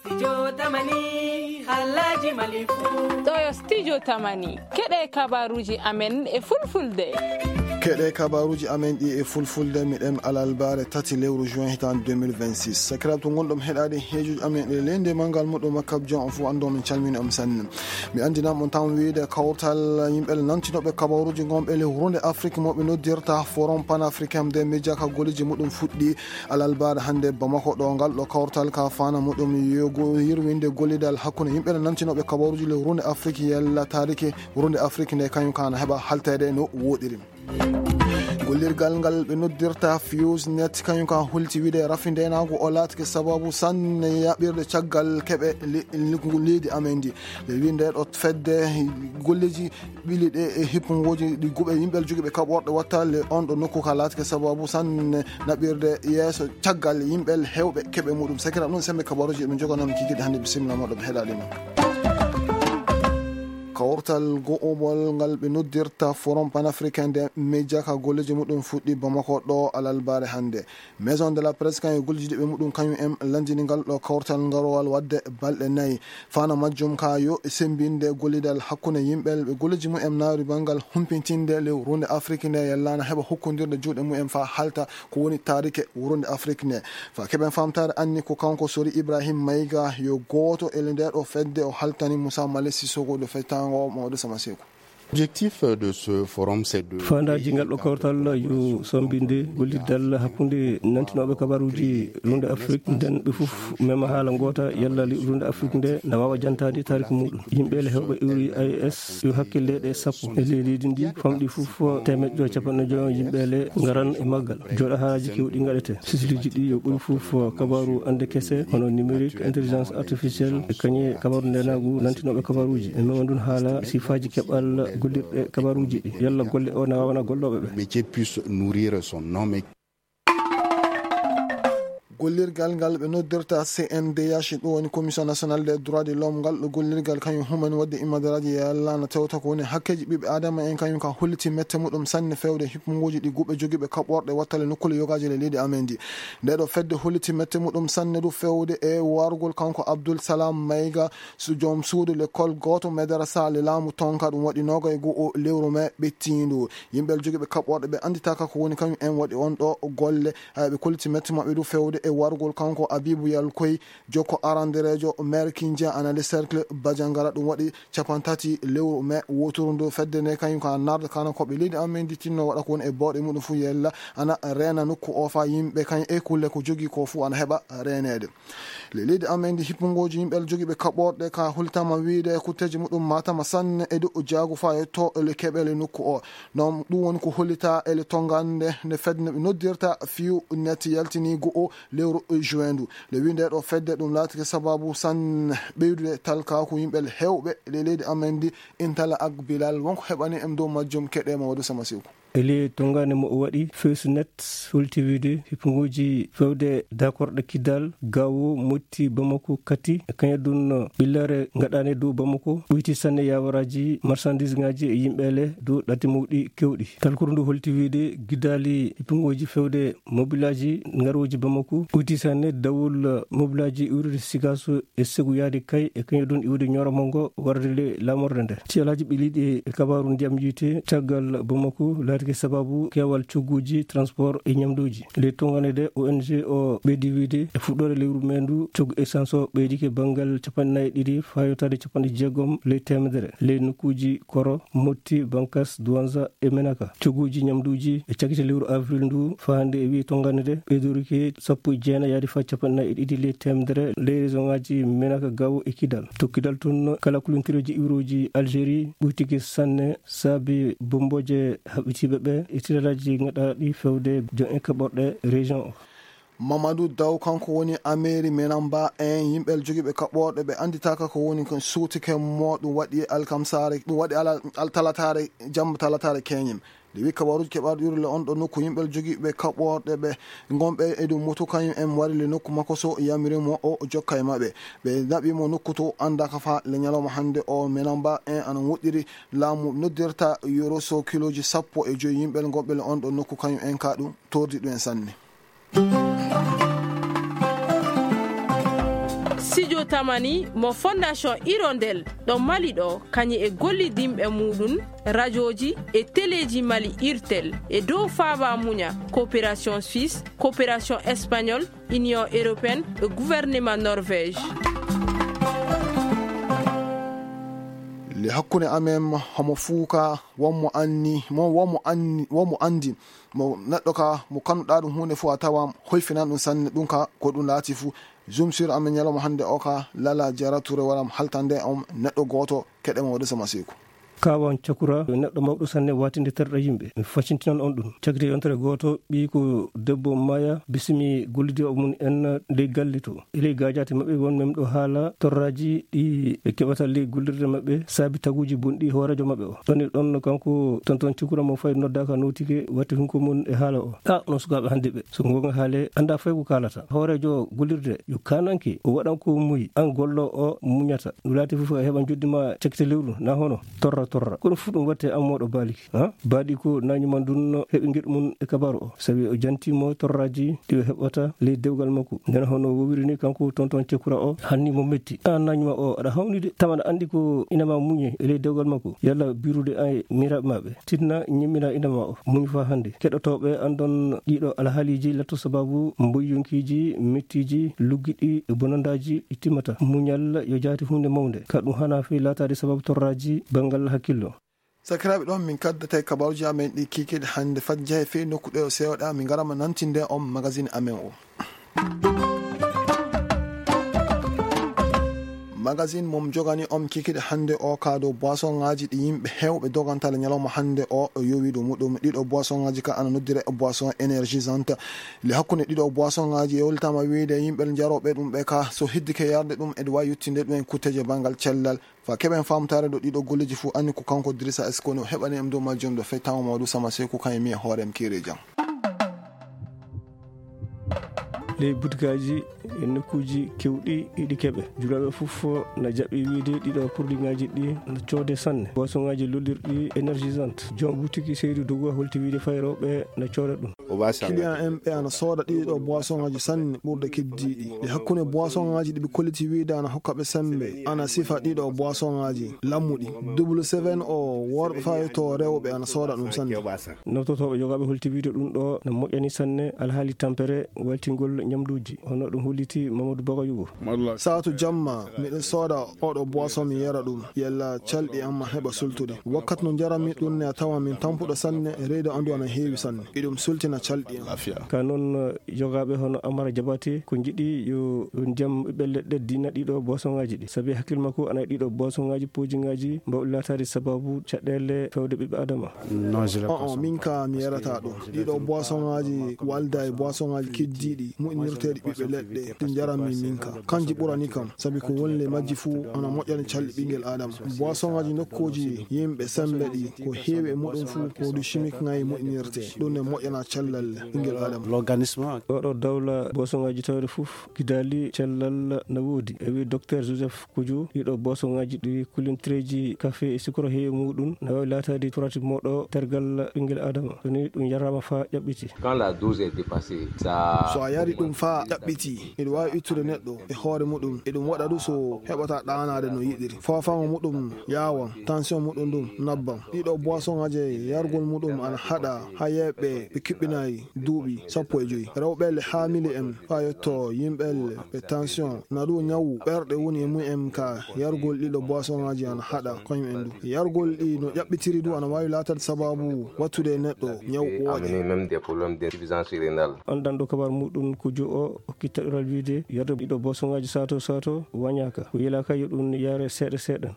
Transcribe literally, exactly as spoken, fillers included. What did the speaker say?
Studio Tamani, Alhaji Malifu. Ɗo yo Studio Tamani. Keɗe kabaruji amen e fulfulde. Keɗe kabaruji amen ɗi e fulfulde, miɗen alalbare tati lewru juin hitan deux mille vingt-six. Sakiraaɓe to ngonɗon heɗaade heejuji amen e leydi e manngal muɗum, makkab jon on fof anndo min calmini on sanne. Mi anndinan on tan wiide kawtal yimɓe nantinooɓe kabaruji ngonɓe le hunde Afrique mo ɓe noddirta Forum Panafricain des Médias ka golleji muɗum fuɗɗi alalbare hannde Bamako ɗo. Ngal ɗo kawtal ka fana muɗum yo go yirwinde gollidal hakkunde yimɓe nantinooɓe kabaruji le hunde Afrique yalla taariki hunde Afrique nde kañum kana heɓa haltede no woɗiri. Gollirgal ngal ɓe noddirta Fuse Net kañum ka holti wiide rafi ndenagu o laatake sababu sanne yaɓirde caggal keɓe le-, le-, leydi amen ndi. Ɓe wi nde ɗo fedde golleji ɓili ɗe e hippungoji ɗi guɓe yimɓe jogiiɓe kaɓorɗe wattale on ɗo nokku ka laatake sababu sanne naɓirde yeeso caggal yimɓe hewɓe keɓe muɗum. Sakira ɗum sembe kabaruji ɗum joganam kikiɗe hannde, bisimilla moɗo ɓe heɗaɗe non. Kawtal go'obol ngal ɓe noddirta Forum Panafricain des Médias ka golleji muɗum fuɗɗi Bamako ɗo alalbare hannde. Maison de la Presse kan e golleji ɗi ɓe muɗum kañum en landini ngal ɗo kawtal ngarowal wadde balɗe nayi. Fana majjum ka yo e sembinde gollidal hakkunde yimɓe ɓe golleji mumen naari bangal humpitinde le hunde Afrique nde yallana heɓa hokkondirde juuɗe mumen fa halta ko woni taarike hunde Afrique nde. Fa keɓen famtare anni ko kanko Sori Ibrahim Maïga yo gooto e nde ɗo fedde o haltani Moussa Malick Sissoko ɗo fettango Mamadou Sama Sekou. Objectif de ce forum, c'est de Faandaaji ngal ɗo kawtal yo sombinde gollidal hakkunde nantinooɓe kabaruji runde Afrique, nden ɓe fof mema haala ngoota, yalla li-, runde Afrique nde na waawa jantaade taariki muɗum. Yimɓe le hewɓe iwri A E S yo hakkille ɗe sappo e ley leydi ndi, famɗi fof teemeɗɗe joy capanɗe joy yimɓe le ngaran e maggal. Jooɗa haalaaji kewɗi ngaɗete. Sisluji ɗi yo ɓuri fof kabaru ande kese, hono numérique, intelligence artificielle, e kañe kabaru ndenagu nantinooɓe kabaruji. E mema ndun haala sifaaji keɓal gollirɗe kabaruji ɗi. Yalla golle o na waawana gollooɓe ɓe. Métier puisse nourrir son homme. Gollirgal ngal ɓe noddirta C N D H, ɗum woni Commission Nationale des Droits de l'Homme, ngal ɗo gollirgal kañum humen wadde immadiaraji e Allah na tewta ko woni hakkeji ɓiɓɓe Adama en, kañum ka holliti mette muɗum sanne fewde hippunguji ɗi guɓe jogiiɓe kaɓorɗe wattale nokkule yogaaji le leydi amen ndi. Nde ɗo fedde holliti mette muɗum sanne du fewde e wargol kanko Abdul Salam Mayga, su-, joom suudu l'école gooto madarasa le laamu tonka, ɗum waɗi noga e go'o lewru mai ɓettindu. Yimɓe jogiiɓe kaɓorɗe ɓe anditaka ko woni kañum en waɗi on ɗo golle. Hay ɓe kolliti mette maɓɓe du fewde e wargol kanko Abibu Yalkoy, jokko aranderejo maire Kindia ana le cercle Badiangara, ɗum waɗi capantati lewru mai woturu ndu. Fedde nde kañum ka narde kana ko ɓe leydi amen ndi tinno waɗa ko woni e bawɗe muɗum fu yella ana reena nokku o fa yimɓe kañum e kulle ko jogii ko fu ana heɓa reenede. Le leydi amen ndi hippungoji yimɓe jogiiɓe kaɓorɗe ka hollitama wiide kutteji muɗum matama sanne e dow jaagu fa yetto le keɓele nokku o. Non ɗum woni ko hollita e le tongande nde fedde no ɓe noddirta Fiu Net yaltini go'o lewru juin ndu. Le wi nde ɗo fedde ɗum laatike sababu sanne ɓeydude talkaku yimɓe hewɓe le leydi amen ndi. Intala ak Bilal wonko heɓani em dow majjum keɗe Mamadou Sama Seku. E ley tongaande mo o waɗi, Fewsinet holti wiide hippunguuji fewde dakorɗe Kidal, Gaawo, Motti, Bamako, Kati, e kañum ɗum ɓillere ngaɗaande dow Bamako, ɓoyti sanne yawaraaji marsandiisŋaaji e yimɓeele dow ɗaɗi mawɗi keewɗi. Talkuru ndu holti wiide gidaali hippunguuji fewde mobilaaji ngarooji Bamako, ɓoyti sanne dawol mobilaaji iwrude Sigaso e segu yaade kay e kañum ɗum iwde ñooro mango warde le laamorde nde. Ci alaaji ɓiliiɗi e kabaaru ndiyam yiite caggal Bamako laatike sababu keewal cogguuji transport e ñamduuji. Ley tonngande de O N G o ɓeydi wiide e fuɗɗoore lewru mee ndu coggu essence o ɓeydike banngal capanɗe nayi e ɗiɗi faa yottaade capanɗe jeegom ley teemedere ley nokkuuji Koro, Motti, Bankas, Douanza e Menaka. Cogguuji ñamduuji e cakite lewru avril ndu faa hannde e wiye tonngande de ɓeydorike sappo e jeenayi yaade faa capanɗe nayi e ɗiɗi ley teemedere ley région ŋaaji Menaka, Gaawo e Kidal. To Kidal toon, kala kulontireeji iwrooji Algérie ɓuytike sanne saabi bommbooje haɓɓitiiɓe ɓe e tilalaaji ngaɗaaɗi fewde joom en kaɓorɗe région o. Mamadou Daw, kanko woni ameeri Menamba en, yimɓe jogiiɓe kaɓorɗe ɓe annditaaka ko woni ko suutike mo ɗum waɗi alkamsaare, ɗum waɗi ala, al-, talataare, jamma talataare keñim. Nde wi kabaruuji keɓaaɗo urle on ɗo nokku yimɓe jogiiɓe kaɓorɗe ɓe ngonɓe e dow moto kañum en wari le nokku makko so yamiri mo o jokka e maɓɓe. Ɓe naɓi mo nokku to anndaaka faa le ñalawma hannde o Menamba en ana woɗɗiri laamu noddirta yoro so kilooji sappo e joy yimɓe ngonɓe le on ɗo nokku kañum en ka ɗum tordi ɗum en sanne. Studio Tamani mo Fondation Hirondelle ɗo Mali ɗo, kañum e gollidinɓe muɗum, rajooji e teleeji Mali Irtel e dow faaba muña, coopération suisse, coopération espagnole, Union européenne e gouvernement Norvège. Le hakkunde amen homo fuuka, wonmo anni, mo, wonmo anni, wonmo anndi, mo neɗɗo ka, mo kanuɗaa ɗum huunde fof a tawa hoyfinan ɗum sanne, ɗum ka ko ɗum laati fof. Jum sur amen ñalawma hannde o ka, Lala Jara Touré waram haltande on neɗɗo gooto, keɗe mo waɗu sama seeku. Kawan Cakura, neɗɗo mawɗo sanne watinde terɗe yimɓe. Mi facintinan on ɗum. Cagde yontere gooto, ɓii ko debbo Maya bisimi gollidiiɓe mum en ley galle to. E ley gaajaate maɓɓe won men ɗo haala torraaji ɗi ɓe keɓata ley gollirde maɓɓe saabi taguuji bonɗi hooreejo maɓɓe o. Ɗon e ɗon kanko Tonton Cakura mo fay noddaaka notike watti hunko mum e haala o. A, onon sukaaɓe hannde ɓe. So goonga haale, annda fay ko kaalata. Hooreejo gollirde yo kaananke, o waɗan ko muyi, an gollo o muñata. No laati fof a heɓan joddi ma cakite lewru, na hono? Torra, torra. Kono fof ɗum watte an moɗo baaliki, ha? Baaɗi ko nañi man ndun heɓi ngeɗu mum e kabaru o. Sabi o janti mo torraji ɗi o heɓata ley dewgal makko. Nden hono wowiri ni kanko Tonton Cekura o, hanni mo metti. An nañi ma o, aɗa hawni de. Taman andi ko ina ma muñe e ley dewgal makko. Yalla birude ay miraɓe maɓe. Tinna ñimmina ina ma o. Muñ fa hannde. Keɗotooɓe andon ɗiɗo alhaaliji latto sababu mboyyonkiiji, mettiiji, luggiɗi e bonandaaji ɗi timmata. Muñal yo jaati huunde mawnde. Ka ɗum hana fii laataade sababu torraaji banngal hakkillo. Sakiraaɓe, ɗon min kaddata e kabaruuji amen ɗi kiikiiɗe hannde. Fat njahe fii nokku ɗo seeɗa, min ngarama nantinde on magazine amen o. Magazine mom jogani on kikiɗe hannde o ka dow boisonŋaaji ɗi yimɓe heewɓe dogantale ñalawma hannde o, o yowi dow muɗum. Ɗiɗo boisonŋaaji ka ana noddire boisson énergisante. Le hakkunde ɗiɗo boisonŋaaji e hollitama wiide yimɓe jarooɓe ɗum ɓe ka, so hiddike yarde ɗum, eɗe waawi yettinde ɗum en kutteeje banngal cellal. Fa keɓen faamtaare ɗo ɗiɗo golleeji fuu, anni ko kanko Dirisa Eskono heɓani em dow majjum ɗo fey tawa mawɗo sama sey ko kañum mi e hoore am keeri jam. Ley butikaaji e nokkuuji keewɗi iɗi keɓe. Julaaɓe fof na jaɓi wiide ɗiɗo produitŋaaji ɗi na coode sanne. Boisonŋaaji lollirɗi énergisante. Joom butiki Seydu Dogo holti wiide fayrooɓe na cooda ɗum. Client en ɓe ana sooda ɗiɗo boisonŋaaji sanne ɓurde keddiiɗi. E hakkunde boisonŋaaji ɗi ɓe kolliti wiide ana hokka ɓe sembe, ana sifa ɗiɗo boisonŋaaji lammuɗi. Double seven o worɓe faa e to rewɓe ana sooda ɗum sanne. Nototooɓe jogaaɓe holti wiide ɗum ɗo na moƴƴani sanne alhaali tampere waltingol ñamduuji. Hono ɗum holliti Mamadou Bagayugo. Saatu jamma, miɗen sooda oɗo boisson mi yara ɗum. Yalla calɗi am ma heɓa sultude. Wakkati no njaranmi ɗum ne a tawa min tampuɗo sanne, reedu andu ana heewi sanne. Iɗum sultina calɗi am. Ka noon, jogaaɓe hono Amara Jabate ko njiɗi yo ndiyam ɓiɓɓe leɗɗe dina ɗiɗo boisonŋaaji ɗi. Sabi hakkil makko ana e ɗiɗo boisonŋaaji pojiŋaaji mbawɗi laataade sababu caɗeele fewde ɓiɓɓe Adama. Non, je le On, on, consomme min pas. Ka mi yarata ɗum. Ɗiɗo boisonŋaaji walda e boisonŋaaji keddiiɗi, moƴƴinirteeɗi ɓiɓɓe leɗɗe, ɗi njaranmi min ka. Kanji ɓurani kam, sabi ko woni le majji fuu ana moƴƴani calɗi ɓingel Adama. Boisonŋaaji nokkuuji yimɓe sembe ɗi, ko heewi e muɗum fuu produit chimique ŋaayi moƴƴinirte. Ɗum ne moƴƴana cellal ɓingel Adama. L'organisme. Oɗo dawla boisonŋaaji tawde fof, gidaali cellal na woodi. E wi Docteur Joseph Kuju, ɗiɗo boisonŋaaji ɗi kulintireeji kafe e sukara heewi muɗum, na waawi laataade turati moɗo tergal ɓingel Adama. So ni ɗum yaraama faa ƴaɓɓiti. Quand la dose est dépassée, ça. So a yari ɗum faa ƴaɓɓiti, iɗum waawi ittude neɗɗo e hoore muɗum, iɗum waɗa ɗum so heɓata ɗaanaade no yiɗiri. Foofaango muɗum yaawan, tension muɗum ɗum nabban. Ɗiɗo boisonŋaaji yargol muɗum ana haɗa haa yeeɓɓe ɓe kiɓɓinaay duuɓi sappo e joy. Rewɓe le haamili en faa yetto yimɓe le ɓe tension, na ɗum ñawu ɓerɗe woni e mum en ka yargol ɗiɗo boisonŋaaji ana haɗa koñum en ɗum. Yargol ɗi no ƴaɓɓitiri ɗum ana waawi laatade sababu wattude e neɗɗo ñawu ɓooƴe. Amener même des problèmes d'insuffisance rénale. Anndanɗo kabar muɗum Kujo o hokki taƴoral wiide yarde ɗiɗo boisonŋaaji sato sato wañaaka. Ko yilaaka yo ɗum yare seeɗa seeɗa.